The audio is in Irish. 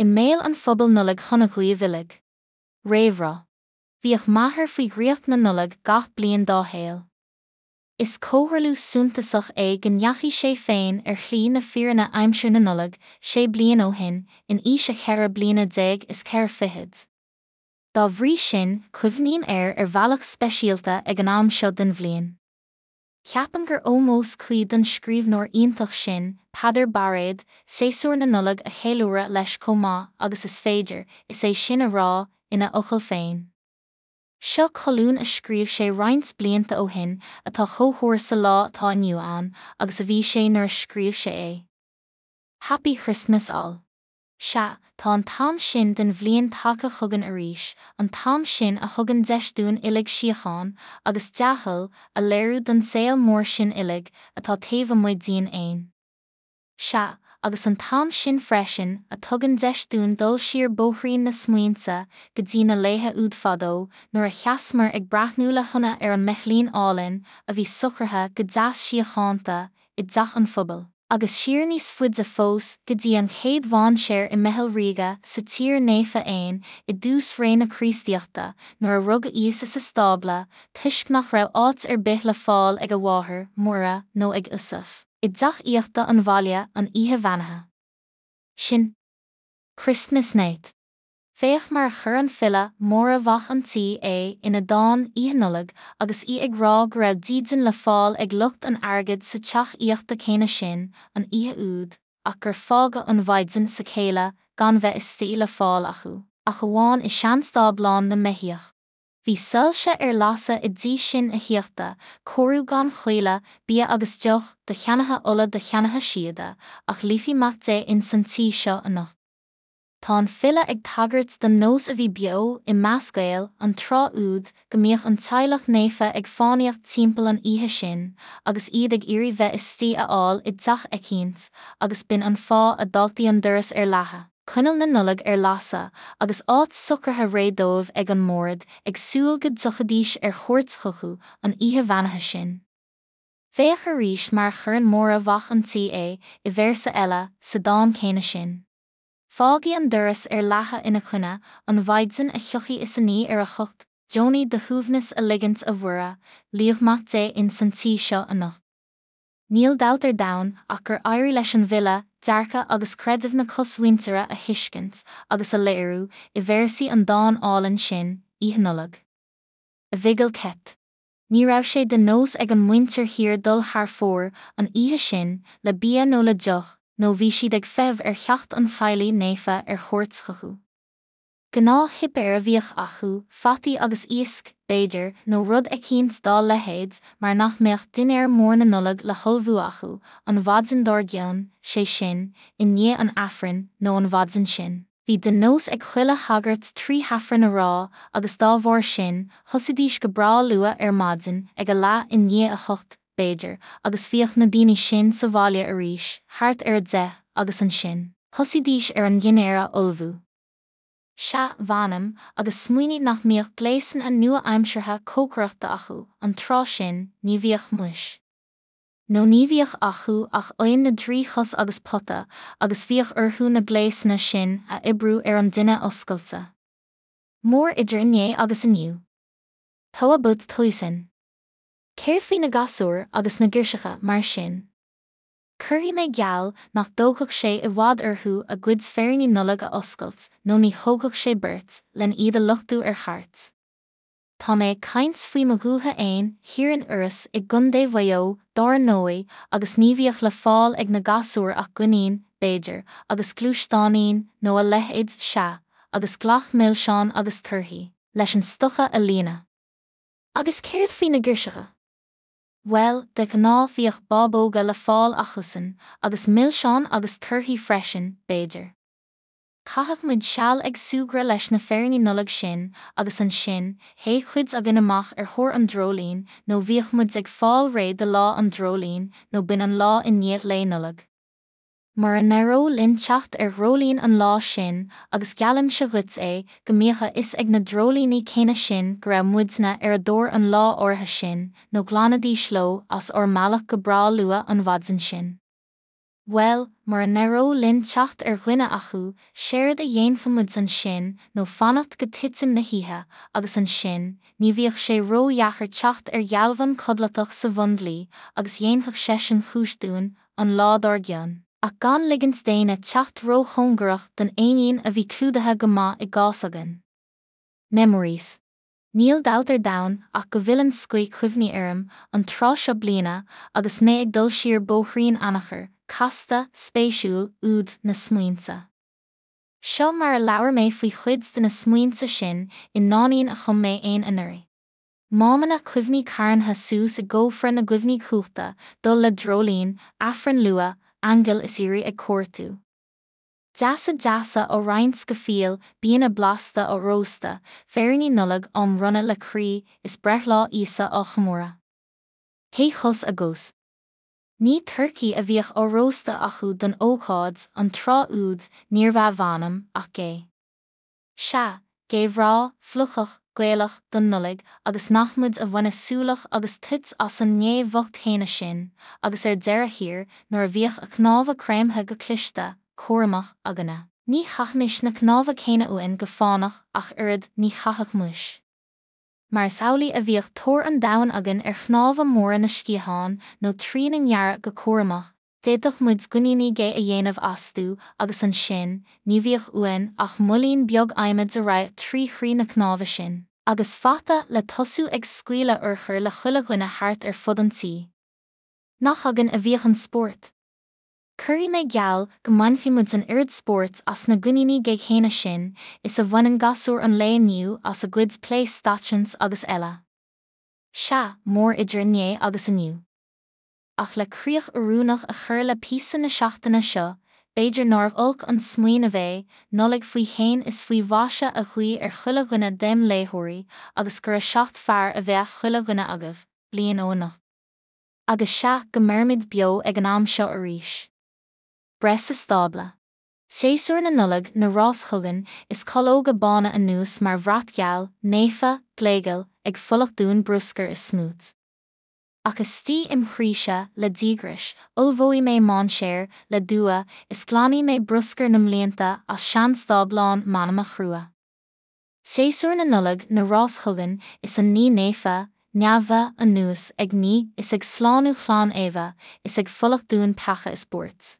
I mbéal an phobail Nollaig shona dhaoibh uilig. Réamhrá. Bhíodh m'athair faoi dhraíocht na Nollag gach bliain dá shaol. Is comhtharlú suntasach é go ndeachaigh sé féin ar shlí na fírinne aimsir na Nollag sé bliain ó shin, in aois a cheithre bliana déag is ceithre fichid. Dá bhrí sin, cuimhním air ar bhealach speisialta ag an am seo den bhliain. Ceapaim gur ómós cuí don scríbhneoir iontach sin, Peadar Bairéad, séasúr na Nollag a cheiliúradh leis chomh maith agus is féidir, is é sin a rá, ina fhocail féin. Seo colún a scríobh sé roinnt blianta ó shin atá chomh húr sa lá atá inniu ann agus a bhí sé nuair a scríobh sé é. Happy Christmas all. Sea, tá an t-am sin den bhliain tagtha chugainn arís, an t-am sin a thugann deis dúinn uilig síocháin, agus dea-thoil, a léiriú don saol mór sin uilig, atá taobh amuigh dínn fhéin. Sea, agus an t-am sin freisin, a tugann deis dúinn dul siar bóithrín na smaointe, go dtí na laethe úd fadó, nuair a sheasamar ag breathnú le hionadh ar an mbeithlín álainn, a bhí socraithe go deas síochánta, i dteach an phobail. Agus siar níos faide fós go dtí an chéad mhainséar i mBeithil Ríoga sa Tír Naofa fhéin i dtús ré na Críostaíochta nuair a rugadh Íosa sa stábla toisc nach raibh áit ar bith le fáil ag a mháthair, Muire, nó ag Iosaf, i dteach aíochta an bhaile an oíche bheannaithe sin. Christmas Night. Féach mar a chuir an file Máire Mhac an tSaoi é ina dán Oíche Nollag agus í ag rá go raibh dídean le fáil ag lucht an airgid sa teach aíochta céanna sin an oíche úd ach gur fágadh an mhaighdean 's a céile gan bheith istigh le fáil acu ach amháin i seanstáblán na mbeithíoch. Bhí soilse ar lasadh i dtigh sin aíochta, cóiriú gan choille, bia agus deoch, do cheannaithe ola do cheannaithe síoda, ach luífidh Mac Dé ins an tí seo anocht. Tá an file ag tagairt don nós a bhí beo i measc Gael an tráth úd go mbíodh an teaghlach naofa ag fánaíocht timpeall an oíche sin agus iad ag iarraidh bheith istigh a fháil i dteach eicínt agus b'in an fáth a d'fhágtaí an doras ar leathadh, coinneal na Nollag ar lasadh agus áit socraithe réidh dóibh ag an mbord ag súil go dtiocfaidís ar chuairt chucu an oíche bheannaithe sin. Féach arís mar a chuireann Máire Mhac an tSaoi é i véarsa eile sa dán céanna sin. Fágaidh an doras ar leathadh ina choinne, an mhaighdean a thiocfaidh is inní ar a hucht, deonaidh do shuaimhneas a ligint a Mhuire, luíodh Mac Dé ins an tí seo anocht. Níl dabht ar domhan ach gur éirigh leis an bhfile dearcadh agus creideamh na cosmhuintire a thuiscint agus a léiriú i véarsaí an dáin álainn sin, Oíche Nollag. A Mhicil Ceit. Ní raibh sé de nós ag an muintir thiar dul thar fóir an oíche sin le bia nó le deoch nó bhí siad ag feitheamh ar theacht an teaghlaigh naofa ar chuairt chucu. Gnáthshuipéar a bhíodh acu, fataí agus iasc, b'fhéidir, nó rud eicínt dá leithéid mar nach mbeadh dinnéar mór na Nollag le hullmhú acu an mhaidin dár gcionn, sé sin, i ndiaidh an Aifrinn, nó an mhaidin sin. Bhí de nós ag chuile shagart trí hAifreann a rá agus dá bharr sin, thosaídís go breá luath ar maidin, ag a leath i ndiaidh a hocht, b'fhéidir, agus bhíodh na daoine sin sa bhaile arís thart ar a deich agus ansin, thosaídís ar an ndinnéar a ullmhú. Sea, mh'anam, agus smaoinigh nach mbíodh gléasanna nua-aimseartha cócaireachta acu an tráth sin, ní bhíodh muis. nó ní bhíodh acu ach oigheann na dtrí chos agus pota, agus bhíodh orthu na gléasanna sin a oibriú ar an dtine oscailte. Mór idir inné agus inniu. How about Toisin? Céard faoi na gasúir agus na girseacha, mar sin? Cuirfidh mé geall nach dtógfadh sé i bhfad orthu a gcuid féiríní Nollag a oscailt nó ní thógfadh sé beirt len iad a luchtú ar chairt. Tá mé ag caint faoi mo dhúiche fhéin, thiar in Iorras i gContae Mhaigh Eo, dár ndóigh, agus ní bhíodh le fáil ag na gasúir ach goinín, b'fhéidir, agus gluaisteáinín, nó a leithéid, sea, agus glac milseán agus torthaí, leis an stoca a líonadh. Agus céard faoi na girseacha? Bhuel, de ghnáth bhíodh bábóga le fáil acusan, agus milseáin agus torthaí freisin, b'fhéidir. Chaitheadh muid seal ag súgradh leis na féiríní Nollag sin agus ansin, théadh cuid againn amach ar thóir an dreoilín nó bhíodh muid ag fáil réidh do lá an dreoilín nó b'in an lá i ndiaidh Lae Nollag. Mura n-éireodh linn teacht ar dhreoilín an lá sin, agus geallaimse dhuit é, go mbíodh a fhios ag na dreoilíní céanna sin go raibh muidne ar a dtóir an lá áirithe sin nó ghlanfaidís leo as ár mbealach go breá luath an mhaidin sin. Bhuel, mura n-éireodh linn teacht ar dhuine acu, séard a dhéanfadh muid ansin nó fanacht go titim na hoíche, agus ansin, ní bhíodh sé ró-dheacair teacht ar ghealbhan codlatach sa bhundlaoi, agus dhéanfadh seisean cúis dúinn, an lá dár gcionn. Ach gan ligint d'éinne teacht ró-chóngarach don éinín a bhí clúdaithe go maith i gcás againn. Memories. Níl dabht ar domhan ach go bhfilleann scoith cuimhní orm, an tráth seo bliana, agus mé ag dul siar bóithrín anachair, casta, spéisiúil, úd na smaointe. Seo mar a labhair mé faoi chuid de na smaointe sin i ndáinín a chum mé fhéin anuraidh. Mámanna cuimhní carntha suas i gcófra na gcuimhní cumhachta, dul le dreoilín, Aifreann luath, aingil is aoirí ag cuartú. Deasa deasa á roinnt go fial, bianna blasta á róstadh, féiríní Nollag á mbronnadh le croí, is breithlá Íosa á chomóradh. Hey chos a gcos. Ní turcaí a bhíodh á róstadh acu don ócáid, an tráth úd, níorbh ea mh'anam, ach gé. Sea, gé bhreá, fliuchach, Gaelach, don Nollaig, agus nach muid a bhaineadh súlach agus toit as an ngé bhocht chéanna sin, agus ar deireadh thiar, nuair a bhíodh a cnámha creimthe go cliste, cúramach, againne. Ní chaithimis na cnámha céanna uainn go fánach ach oiread, ní chaithfeadh muis. Mar is amhlaidh a bhíodh tóir an domhain againn ar chnámha móra na sciathán, nó trína ngearradh go cúramach, D'fhéadfadh muid goiníní gé a dhéanamh astu agus ansin, ní bhíodh uainn ach moillín beag adhmaid a raghadh trí chroí na cnáimhe sin. Agus fata le tosú ag scaoileadh urchar le chuile dhuine thart ar fud an tí. Nach againn a bhíodh an spórt? Cuirfidh mé geall go mbainfidh muid an oiread spóirt as na goiníní gé céanna sin is a bhaineann gasúir an lae inniu as a gcuid play stations agus eile. Sea, mór idir inné agus inniu. Ach le críoch oiriúnach a chur le píosa na seachtaine seo, b'fhéidir nárbh olc an smaoineamh é, Nollaig faoi shéan is faoi mhaise a ghuí ar chuile dhuine dem léitheoirí, agus gura 7 fearr a bheadh chuile dhuine agaibh, bliain ó anocht. Agus sea, go mbeirimid beo ag an am seo arís. Breith sa stábla. Séasúr na Nollag 'na rás chugainn, is calóga bána anuas mar bhrat geal, naofa, gléigeal, ag fulacht dúinn bruscar is smúit. Ach istigh im chroíse, le díograis, ullmhóidh mé mainséar, le dua, is glanfaidh mé bruscar na mblianta as seanstáblán m'anama chrua. Séasúr na Nollag 'na rás chugainn, is an ní naofa, neamhdha, anuas ag ní is ag slánú chlann Éabha, is ag fulacht dúinn peaca is buairt.